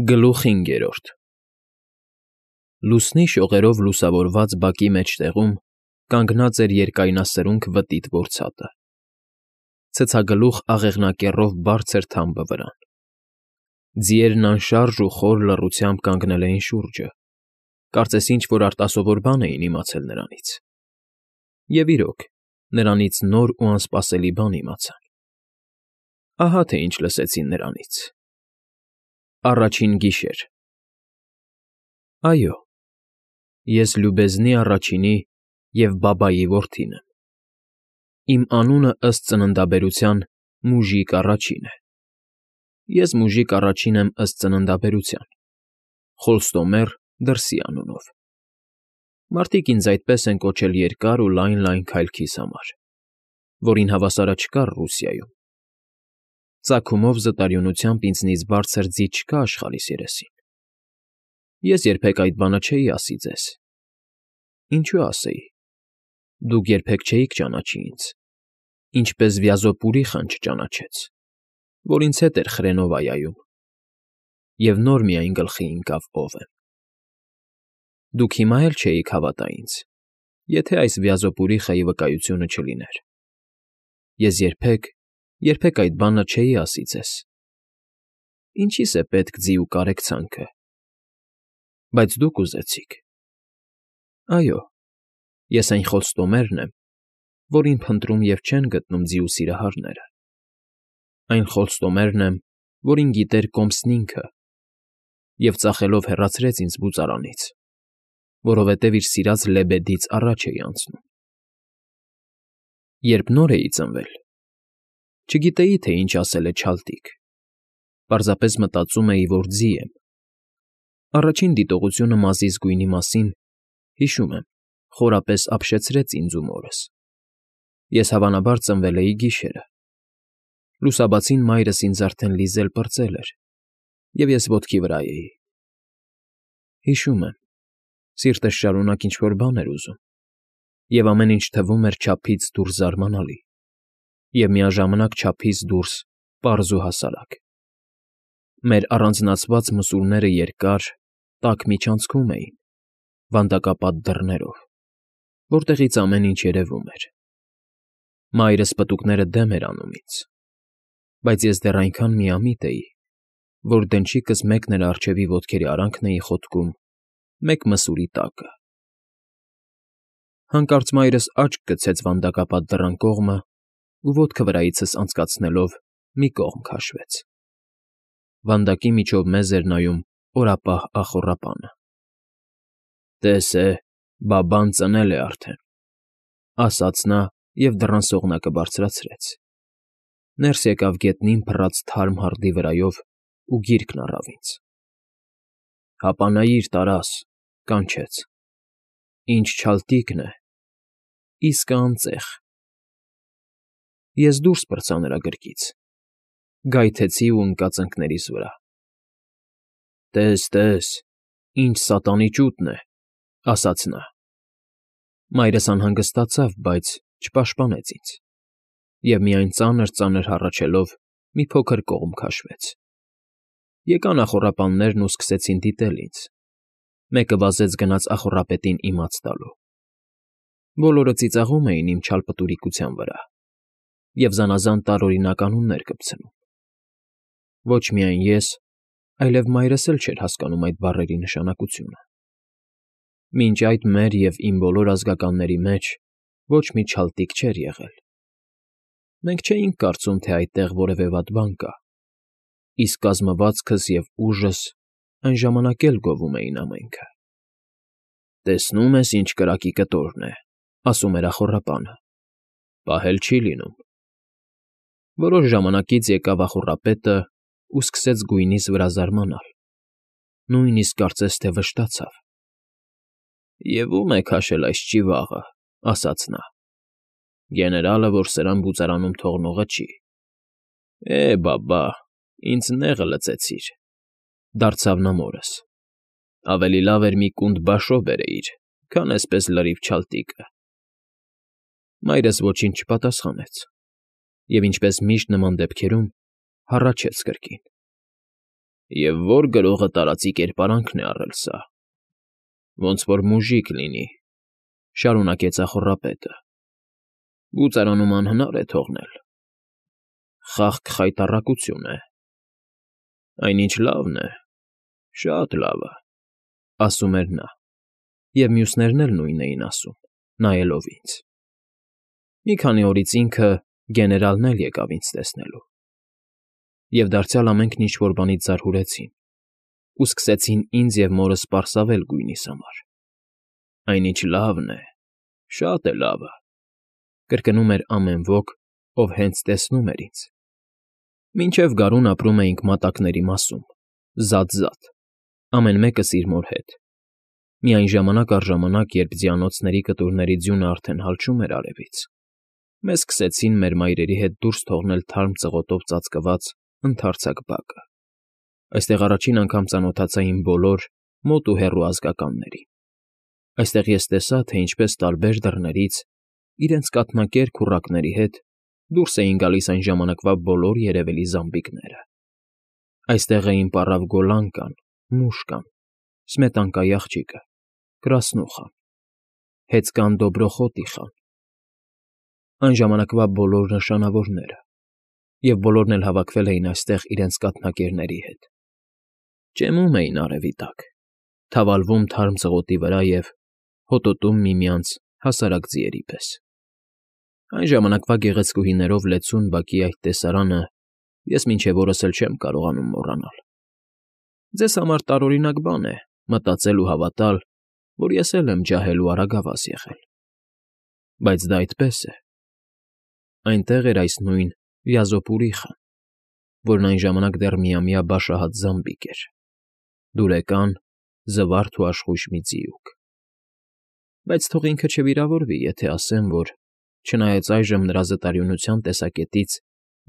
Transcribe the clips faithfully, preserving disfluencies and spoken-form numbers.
Գլուխ հինգերորդ Լուսնի շողերով լուսավորված բակի մեջտեղում կանգնած էր երկայնասրունք վտիտ որցատը, ցցագլուխ աղեղնակեռով բարձր թամբը վրան, ձիերն անշարժ ու խոր լռությամբ կանգնել էին շուրջը, կարծես ինչ֊որ արտասովոր բան էին իմացել նրանից, և իրոք, նրանից նոր ու անսպասելի բան իմացան. ահա թե ինչ լսեցին նրանից. Առաջին գիշեր Այո, ես Լյուբեզնի առաջինի և Բաբայի որդին եմ, իմ անունը ըստ ծննդաբերության Մուժիկ առաջին է, ես Մուժիկ առաջին եմ ըստ ծննդաբերության, Խոստոմեր դրսի անունով, մարդիկ ինձ այդպես են կոչել երկար ու լայն֊լայն քայլքիս համար, որին հավասարը չկար Ռուսիայում, ծագումով զտարյունությամբ ինձնից բարձր ձի չկա աշխարհիս երեսին, ես երբեք այդ բանը չէի ասի ձեզ, ինչու ասեի, դուք երբեք չէիք ճանաչի ինձ, ինչպես Վյազոպ Ուրիխան չճանաչեց, որ ինձ հետ էր Խրենովայայում, և նոր միայն գլխի ընկավ ով եմ, դուք հիմա էլ չէիք հավատա ինձ, եթե այս Վյազոպ Ուրիխայի վկայությունը չլիներ, ես երբեք, երբեք այդ բանը չէի ասի ձեզ, ինչի՞ս է պետք ձի ու կարեկցանքը, բայց դուք ուզեցիք, այո, ես այն Խոստոմերն եմ, որին փնտրում և չեն գտնում ձի ու սիրահարները, այն Խոստոմերն եմ, որին գիտեր կոմսն ինքը և ծախելով հեռացրեց ինձ բուծարանից, որովհետև իր սիրած լեբեդից առաջ էի անցնում, երբ նոր էի ծնվել, չգիտեի, թե ինչ ասել է չալտիկ, պարզապես մտածում էի, որ ձի եմ, առաջին դիտողությունը մազիս գույնի մասին, հիշում եմ, խորապես ապշեցրեց ինձ ու մորս, ես հավանաբար ծնվել էի գիշերը, լուսաբացին մայրս ինձ արդեն լիզել պրծել էր, և ես ոտքի վրա էի, հիշում եմ, սիրտս շարունակ ինչ֊որ բան էր ուզում, և ամեն ինչ թվում էր չափից դուրս զարմանալի, և միաժամանակ չափից դուրս պարզ ու հասարակ, մեր առանձնացված մսուրները երկար, տաք միջանցքում էին, վանդակապատ դռներով, որտեղից ամեն ինչ երևում էր, մայրս պտուկները դեմ էր անում ինձ, բայց ես դեռ այնքան միամիտ էի, որ դնչիկս մեկ նրա առջևի ոտքերի արանքն էի խոթկում, մեկ մսուրի տակը, հանկարծ մայրս աչք գցեց վանդակապատ դռան կողմը ու ոտքը վրայիցս անցկացնելով մի կողմ քաշվեց, վանդակի միջով մեզ էր նայում օրապահ ախոռապանը, տես է, բաբան ծնել է արդեն, ասաց նա և դռան սողնակը բարձրացրեց, ներս եկավ գետնին փռած թարմ հարդի վրայով ու գիրկն առավ ինձ, հապանայիր, Տարաս, կանչեց, ինչ չալտիկն է, իսկը անծեղ, ես դուրս պրծա նրա գրկից, գայթեցի ու ընկա ծնկներիս վրա, տես, տես, ինչ սատանի ճուտն է, ասաց նա, մայրս անհանգստացավ, բայց չպաշտպանեց ինձ, և միայն ծանր֊ծանր հառաչելով մի փոքր կողմ քաշվեց, եկան ախոռապաններն ու սկսեցին դիտել ինձ, մեկը վազեց գնաց ախոռապետին իմաց տալու, բոլորը ծիծաղում էին իմ չալպտուրիկության վրա և զանազան տարօրինակ անուններ կպցնում, ոչ միայն ես, այլև մայրս էլ չէր հասկանում այդ բառերի նշանակությունը, մինչ այդ մեր և իմ բոլոր ազգականների մեջ ոչ մի չալտիկ չէր եղել, մենք չէինք կարծում, թե այդտեղ որևէ վատ բան կա, իսկ կազմվածքս և ուժս այն ժամանակ էլ գովում էին ամենքը, տեսնո՞ւմ ես, ինչ կրակի կտորն է, ասում էր ախոռապանը, պահել չի լինում, որոշ ժամանակից եկավ ախոռապետն ու սկսեց գույնիս վրա զարմանալ, նույնիսկ կարծես թե վշտացավ, և ո՞ւմ է քաշել այս ճիվաղը, ասաց նա, գեներալը, որ սրան բուծարանում թողնողը չի, է, բաբա, ինձ նեղը լծեցիր, դարձավ նա մորս, ավելի լավ էր մի կունտ բաշո բերեիր, քան էսպես լրիվ չալտիկը, մայրս ոչինչ չպատասխանեց և ինչպես միշտ նման դեպքերում հառաչեց կրկին, Եվ որ գրողը տարածի կերպարանքն է առել սա։ Ոնց որ մուժիկ լինի, շարունակեց ախոռապետը։ Գուցարանում անհնար է թողնել։ Խաղք խայտառակություն է։ Այնինչ լավն է, շատ լավը, ասում էր նա, և մյուսներն էլ նույնն էին ասում, նայելով ինձ։ Մի քանի օրից ինքը գեներալն էլ եկավ ինձ տեսնելու։ Եվ դարձյալ ամենքն ինչ֊որ բանից զարհուրեցին ու սկսեցին ինձ և մորս պարսավել գույնիս համար։ Այնինչ լավն է, շատ է լավը, կրկնում էր ամեն ոք, ով հենց տեսնում էր ինձ։ Մինչև գարուն ապրում էինք մատակների մասում, զատ֊զատ, ամեն մեկս իր մոր հետ։ Միայն ժամանակ առ ժամանակ, երբ ձիանոցների կտուրների ձյունը արդեն հալչում էր արևից, մեզ սկսեցին մեր մայրերի հետ դուրս թողնել թարմ ծղոտով ծածկված ընդարձակ բակը։ Այստեղ առաջին անգամ ծանոթացա իմ բոլոր մոտ ու հեռու ազգականներին։ Այստեղ ես տեսա, թե ինչպես տարբեր դռներից, իրենց կաթնակեր քուռակների հետ դուրս էին գալիս այն ժամանակվա բոլոր երևելի զամբիկները։ Այստեղ էին պառավ Գոլլանկան, Մուշկան, Սմետանկայի աղջիկը, Կրասնուխան, Հեծկան Դոբրոխոտի խան, այն ժամանակվա բոլոր նշանավորները, և բոլորն էլ հավաքվել էին այստեղ իրենց կաթնակերների հետ։ Ճեմում էին արևի տակ, թավալվում թարմ ծղոտի վրա և հոտոտում միմյանց հասարակ ձիերի պես։ Այն ժամանակվա գեղեցկուհիներով լեցուն բակի այդ տեսարանը ես մինչև օրս էլ չեմ կարողանում մոռանալ։ Ձեզ համար տարօրինակ բան է մտածել ու հավատալ, որ ես էլ եմ ջահել ու արագավազ եղել։ Բայց դա այդպես է։ Այնտեղ էր այս նույն Վյազոպուրի խան, որն այն ժամանակ դեռ միամյա բաշահատ զամբիկ էր, դուրեկան, զվարթ ու աշխույժ մի ձիուկ։ Բայց թող ինքը չվիրավորվի, եթե ասեմ, որ չնայած այժմ նրա զտարյունության տեսակետից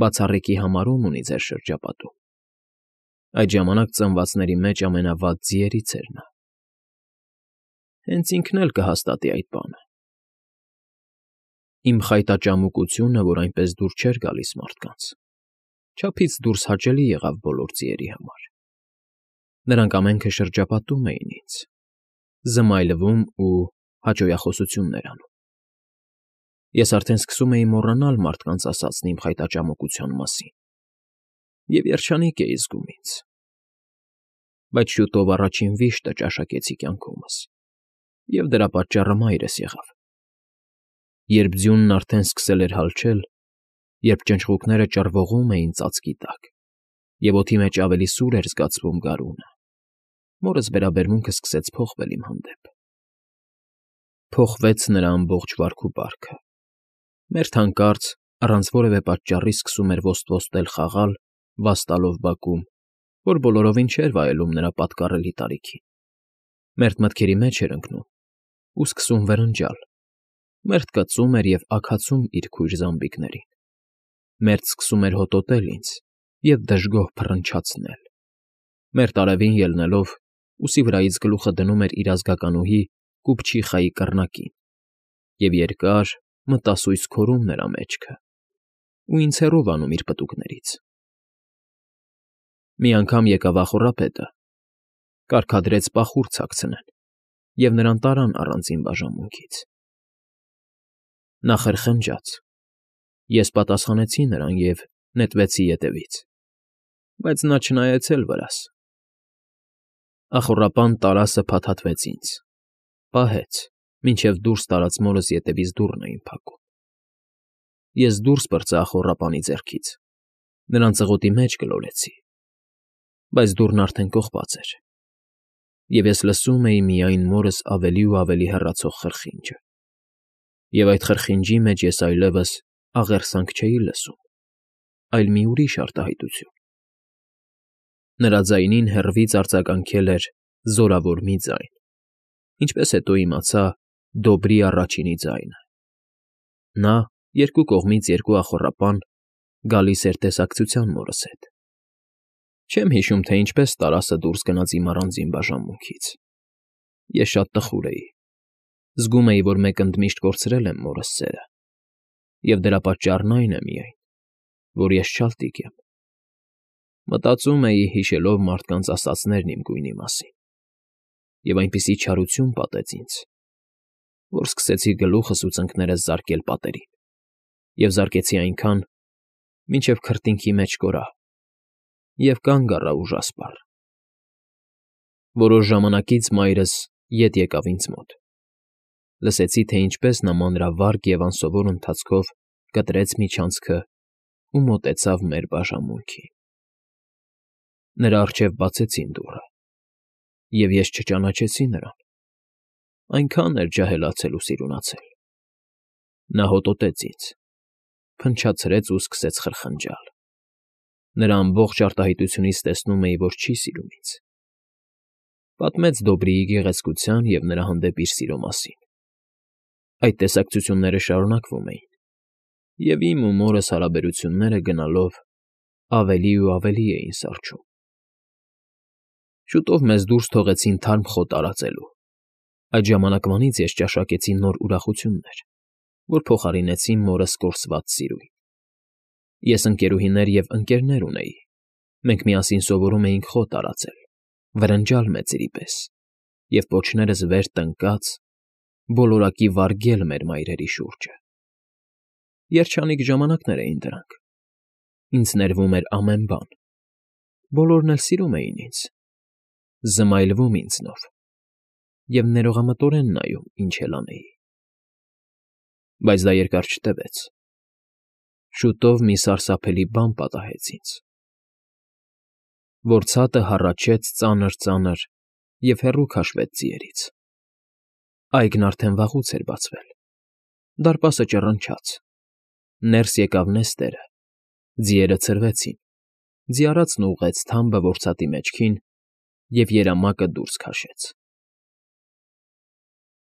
բացառիկի համարում ունի ձեր շրջապատում, այդ ժամանակ ծնվածների մեջ ամենավատ ձիերից էր նա։ Հենց ինքն էլ կհաստատի այդ բանը։ Իմ խայտաճամուկությունը, որ այնպես դուր չէր գալիս մարդկանց, չափից դուրս հաճելի եղավ բոլոր ձիերի համար։ Նրանք ամենքը շրջապատում էին ինձ, զմայլվում ու հաճոյախոսություններ անում։ Ես արդեն սկսում էի մոռանալ մարդկանց ասածն իմ խայտաճամուկության մասին և երջանիկ էի զգում ինձ։ Բայց շուտով առաջին վիշտը ճաշակեցի կյանքումս, և դրա պատճառը մայրս եղավ։ Երբ ձյունն արդեն սկսել էր հալչել, երբ ճնճղուկները ճռվողում էին ծածկի տակ, և օդի մեջ ավելի սուր էր զգացվում գարունը, մորս վերաբերմունքը սկսեց փոխվել իմ հանդեպ։ Փոխվեց նրա ամբողջ վարք ու բարքը։ Մերթ հանկարծ, առանց որևէ պատճառի սկսում էր ոստ֊ոստել խաղալ, վաստալով բակում, որ բոլորովին չէր վայելում նրա պատկառելի տարիքին։ Մերթ մտքերի մեջ էր ընկնում ու սկսում վրնջալ, մերթ կծում էր և ագացում իր քույր զամբիկներին, մերթ սկսում էր հոտոտել ինձ և դժգոհ փռնչացնել, մերթ արևին ելնելով, ուսի վրայից գլուխը դնում էր իր ազգականուհի կուպչիխայի կռնակին և երկար, մտասույզ քորում նրա մեջքը ու ինձ հեռու վանում իր պտուկներից։ Մի անգամ եկավ ախոռապետը, կարգադրեց պախուր ցակցնեն, և նրան տարան առանձին բաժանմունքից։ Նա խրխնջաց։ Ես պատասխանեցի նրան և նետվեցի ետևից, բայց նա չնայեց էլ վրաս։ Ախոռապան տարասը փաթաթվեց ինձ, պահեց, մինչև դուրս տարած մորս ետևից դուռն էին փակում։ Ես դուրս պրծա ախոռապանի ձեռքից, նրան ծղոտի մեջ գլորեցի, բայց դուռն արդեն կողպած էր, և ես լսում էի միայն մորս ավելի ու ավելի հեռացող խրխինջը։ Եվ այդ խրխինջի մեջ ես այլևս աղերսանք չէի լսում, այլ մի ուրիշ արտահայտություն։ Նրա ձայնին հեռվից արձագանքել էր զորավոր մի ձայն, ինչպես հետո իմացա Դոբրի առաջինի ձայնը։ Նա, երկու կողմից երկու ախոռապան, գալիս էր տեսակցության մորս հետ։ Չեմ հիշում, թե ինչպես տարասը դուրս գնաց իմ առանձին բաժանմունքից։ Ես շատ տխուր էի, զգում էի, որ մեկ ընդմիշտ կորցրել եմ մորս սերը, և դրա պատճառն այն է միայն, որ ես չալտիկ եմ։ Մտածում էի, հիշելով մարդկանց ասածներն իմ գույնի մասին, և այնպիսի չարություն պատեց ինձ, որ սկսեցի գլուխս ու ծնկներս զարկել պատերին և զարկեցի այնքան, մինչև քրտինքի մեջ կորա և կանգ առա ուժասպառ։ Որոշ ժամանակից մայրս ետ եկավ ինձ մոտ, լսեցի, թե ինչպես նա մանրավարգ և անսովոր ընթացքով կտրեց միջանցքն ու մոտեցավ մեր բաժանմունքին։ Նրա առջև բացեցին դուռը, և ես չճանաչեցի նրան, այնքան էր ջահելացել ու սիրունացել։ Նա հոտոտեց ինձ, փնչացրեց ու սկսեց խրխնջալ։ Նրա ամբողջ արտահայտությունից տեսնում էի, որ չի սիրում ինձ։ Պատմեց Դոբրիի գեղեցկության և նրա հանդեպ իր սիրո մասին։ Այդ տեսակցությունները շարունակվում էին, և իմ ու մորս հարաբերությունները գնալով ավելի ու ավելի էին սառչում։ Շուտով մեզ դուրս թողեցին թարմ խոտ արածելու։ Այդ ժամանակվանից ես ճաշակեցի նոր ուրախություններ, որ փոխարինեցին մորս կորսված սիրուն։ Ես ընկերուհիներ և ընկերներ ունեի, մենք միասին սովորում էինք խոտ արածել, վրնջալ մեծերի պես և պոչներս վեր տնկած բոլորակի վարգել մեր մայրերի շուրջը։ Երջանիկ ժամանակներ էին դրանք։ Ինձ ներվում էր ամեն բան, բոլորն էլ սիրում էին ինձ, զմայլվում ինձնով և ներողամտորեն նայում, ինչ էլ անեի։ Բայց դա երկար չտևեց։ Շուտով մի սարսափելի բան պատահեց ինձ։ Որցատը հառաչեց ծանր֊ծանր և հեռու քաշվեց ձիերից։ Այգին արդեն վաղուց էր բացվել։ Դարպասը ճռնչաց։ Ներս եկավ նեստերը, ձիերը ցրվեցին, ձիառածն ուղղեց թամբը որցատի մեջքին և երամակը դուրս քաշեց։